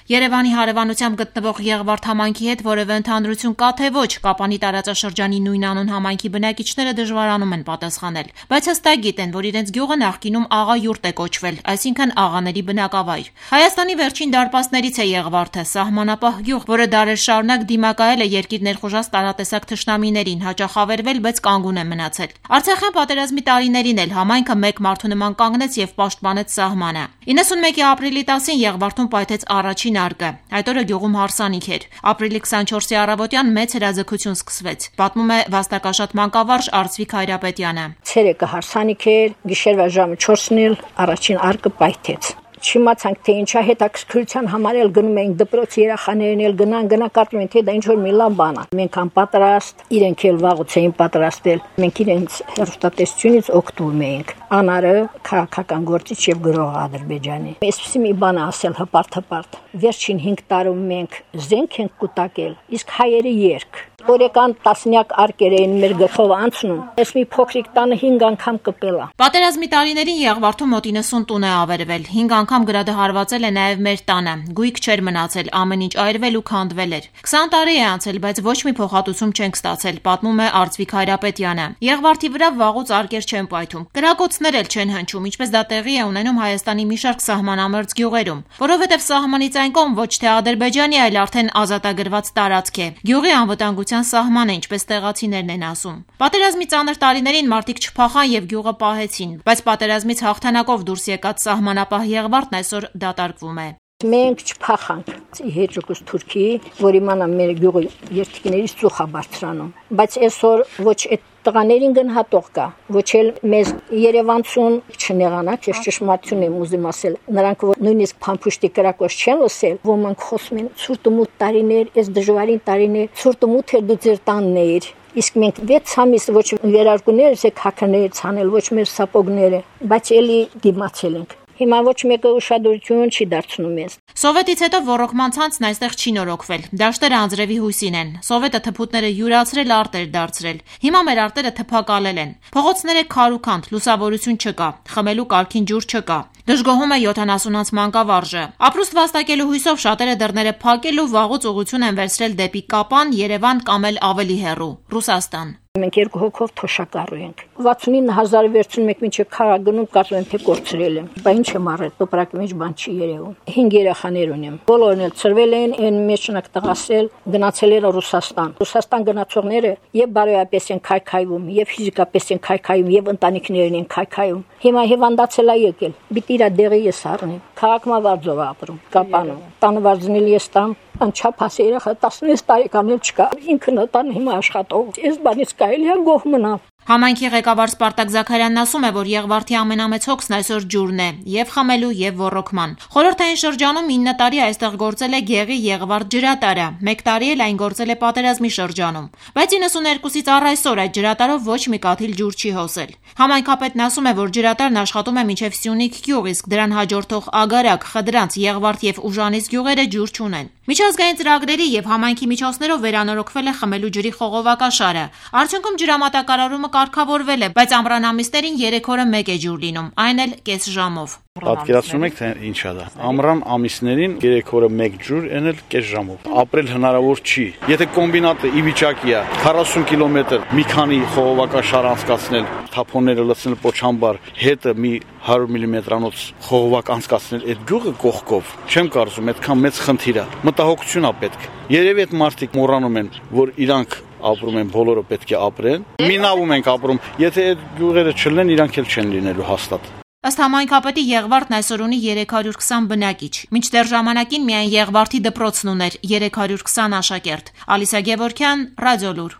Երևանի հարևանությամբ գտնվող Եղվարդ համայնքի հետ որևէ ընդհանրություն կա թե ոչ, Կապանի տարածաշրջանի նույնանուն համայնքի բնակիչները դժվարանում են պատասխանել, բայց հստակ գիտեն, որ իրենց գյուղը նախկինում աղայուրտ է կոչվել, այսինքն աղաների բնակավայր։ Հայաստանի վերջին դարպասներից է Եղվարդը, սահմանապահ գյուղ, որը դարեր շարունակ դիմակայել է երկիր ներխուժած տարատեսակ թշնամիներին, հաճախ ավերվել, բայց կանգուն է մնացել։ Արցախյան պատերազմի տարիներին էլ համայնքը մեկ մարդու նման կանգնեց եւ պաշտպանեց սահմանը։ 91-ի ապրիլի 10-ին Եղվարդում պայթեց առաջին արկը։ Այդ օրը գյուղում հարսանիք էր։ Ապրիլի 24-ի առավոտյան մեծ հրաձգություն սկսվեց։ Պատմում է վաստակաշատ մանկավարժ Արծվիկ Հայրապետյանը։ Ցերեկը հարսանիք էր, գիշերվա ժամը 4-ին առաջին արկը պայթեց։ Չիմացանք թե ինչա հետաքրքրության համար էլ գնում էինք դպրոց, երեխաներն էլ գնան կարծում են թե դա ինչ որ մի լավ բան է։ Մենք անպատրաստ, իրենք էլ վաղուց էին պատրաստվել։ Մենք իրենց հերոստատեսությունից օգտվում էինք։ Անարը քաղաքական գործիչ եւ գրող Ադրբեջանի։ Այսպեսի մի բան ասել հպարտ։ Վերջին 5 տարում մենք զենք ենք կուտակել, իսկ հայերը երկ։ Օրեկան տասնյակ արկեր էին մեր գլխով անցնում։ Այս մի փոքրիկ տանը 5 անգամ կպել է։ Պատերազմի տարիներին Եղվարդում մոտ 90 տուն է ավերվել։ 5 անգամ գրադը հարվածել է նաև մեր տանը։ Գույք չէր մնացել, ամեն ինչ այրվել ու քանդվել էր։ 20 տարի է անցել, բայց ոչ մի փոխհատուցում չենք ստացել, պատմում է Արծվիկ Հայրապետյանը։ Եղվարդի վրա վաղուց արկեր չեն պայթում։ Կրակոցներ էլ չեն հնչում, ինչպես դա տեղի է ունենում Հայաստանի մի շարք սահմանամերձ գյուղերում, որովհետև սահմանից այն կողմ ոչ թե Ադրբեջանի, այլ արդեն ազատագրված տարածք է։ Գյուղի անվտանգության սահմանը, ինչպես տեղացիներն են ասում։ Պատերազմի ծանր տարիներին մարդիկ չփախան եւ գյուղը պահեցին, բայց պատերազմից հաղթանակով դուրս եկած սահմանապահ Եղվարդն այսօր դատարկվում է։ Մենք չփախանք հեջուկուս Թուրքիի, որ իմանա մեր գյուղի երթիկներից ծուխ է բարձրանում, բայց այսօր ոչ այդ տղաներին գնահատող կա, ոչ էլ մեզ Երևանցուն չնեղանաք, ես ճշմարտություն եմ ուզում ասել, նրանք որ նույնիսկ փամփուշտի կրակոց չեն լսել, ոմանք խոսում են ցուրտումութ տարիներ, այս դժվարին տարիներ, ցուրտումութը դու ձեր տանն էիր։ Իսկ մենք 6 ամիս ոչ վերարկուներ եք հականեր ցանել, ոչ մեր սապոգները, բայց էլի դիմացել ենք։ Հիմա ոչ մեկը ուշադրություն չի դարձնում մեզ։ Սովետից հետո ոռոգման ցանցն այստեղ չի նորոգվել։ Դաշտերը անձրևի հույսին են։ Սովետը թփուտները յուրացրել, արտեր դարձրել։ Հիմա մեր արտերը թփակալել են։ Փողոցները քարուքանդ, լուսավորություն չկա, խմելու կարգին ջուր չկա։ Դժգոհում է 70-անց մանկավարժը։ Ապրուստ վաստակելու հույսով շատերը դռները փակել ու վաղուց ուղղություն են վերցրել դեպի Կապան, Երևան կամ էլ ավելի հեռու՝ Ռուսաստան։ Մենք 2 հոգով թոշակառու ենք։ 69000 վերցնում մինչև քարա գնում, կարծում եմ թե կորցրել եմ։ Բա ինչ եմ արել, տոպրակի մեջ բան չի երևում։ 5 երեխաներ ունեմ։ Բոլորն էլ ծրվել են, այն մեջնակ տղասել, գնացել են Ռուսաստան։ Ռուսաստան գնացողները եւ բարոյապես են քայքայվում, եւ ֆիզիկապես են քայքայվում, եւ ընտանիքներն են քայքայվում։ Հիմա հիվանդացել է եկել։ Պիտի իր դեղի ես առնեմ։ Քաղաքմավարձով ապրում, Կապանում։ Տանը վարձնել ես տամ։ Անչափ ասի երեխա 16 տարեկան էլ չկա, ինքն տան հիմա աշխատող։ Այս բանից կարելի է գոհ մնալ։ Համայնքի ղեկավար Սպարտակ Զաքարյանն ասում է, որ Եղվարդի ամենամեծ հոգսն այսօր ջուրն է, եւ խմելու, եւ ոռոգման։ Խորհրդային շրջանում 9 տարի այստեղ գործել է Գեղի Եղվարդ ջրատարը, 1 տարի էլ այն գործել է պատերազմի շրջանում։ Բայց 92-ից առ այսօր այդ ջրատարով ոչ մի կաթիլ ջուր չի հոսել։ Համայնքապետն ասում է, որ ջրատարն աշխատում է մինչև Սյունիք գյուղ, իսկ դրան հաջորդող Ագարակ, Խդրանց, Եղվարդ եւ Ուժանից գյուղերը ջուր չունեն։ Միջազգային ծրագրերի եւ համայնքի միջոցներով վերանորոգվել է խմելու ջրի խողովակաշարը։ Արդյունքում ջրամատակարարումը կարգավորվել է, բայց ամռան ամիսներին 3 օրը մեկ է ջուր լինում, այն էլ կես ժամով։ Պատկերացնում եք թե ինչ է դա։ Ամռան ամիսներին 3 օրը մեկ ջուր, այն էլ կես ժամով։ Ապրել հնարավոր չի։ Եթե կոմբինատը ի վիճակի է 40 կիլոմետր մի քանի խողովակաշար անցկացնել, թափոնները լցնել պոչամբար, հետը մի 100 մմ-անոց խողովակ անցկացնել այդ գյուղը կողքով, չեմ կարծում այդքան մեծ խնդիր է։ Մտահոգություն է պետք։ Երևի այդ մարդիկ մոռանում են, որ իրանք ապրում են, բոլորը պետք է ապրեն։ Մի նավում ենք ապրում, եթե այդ գյուղերը չլինեն, իրանք էլ չեն լինելու հաստատ։ Ըստ համայնքապետի Եղվարդն այսօր ունի 320 բնակիչ։ Մինչդեռ ժամանակին միայն Եղվարդի դպրոցն ուներ 320 աշակերտ։ Ալիսա Գևորգյան, Ռադիոլուր։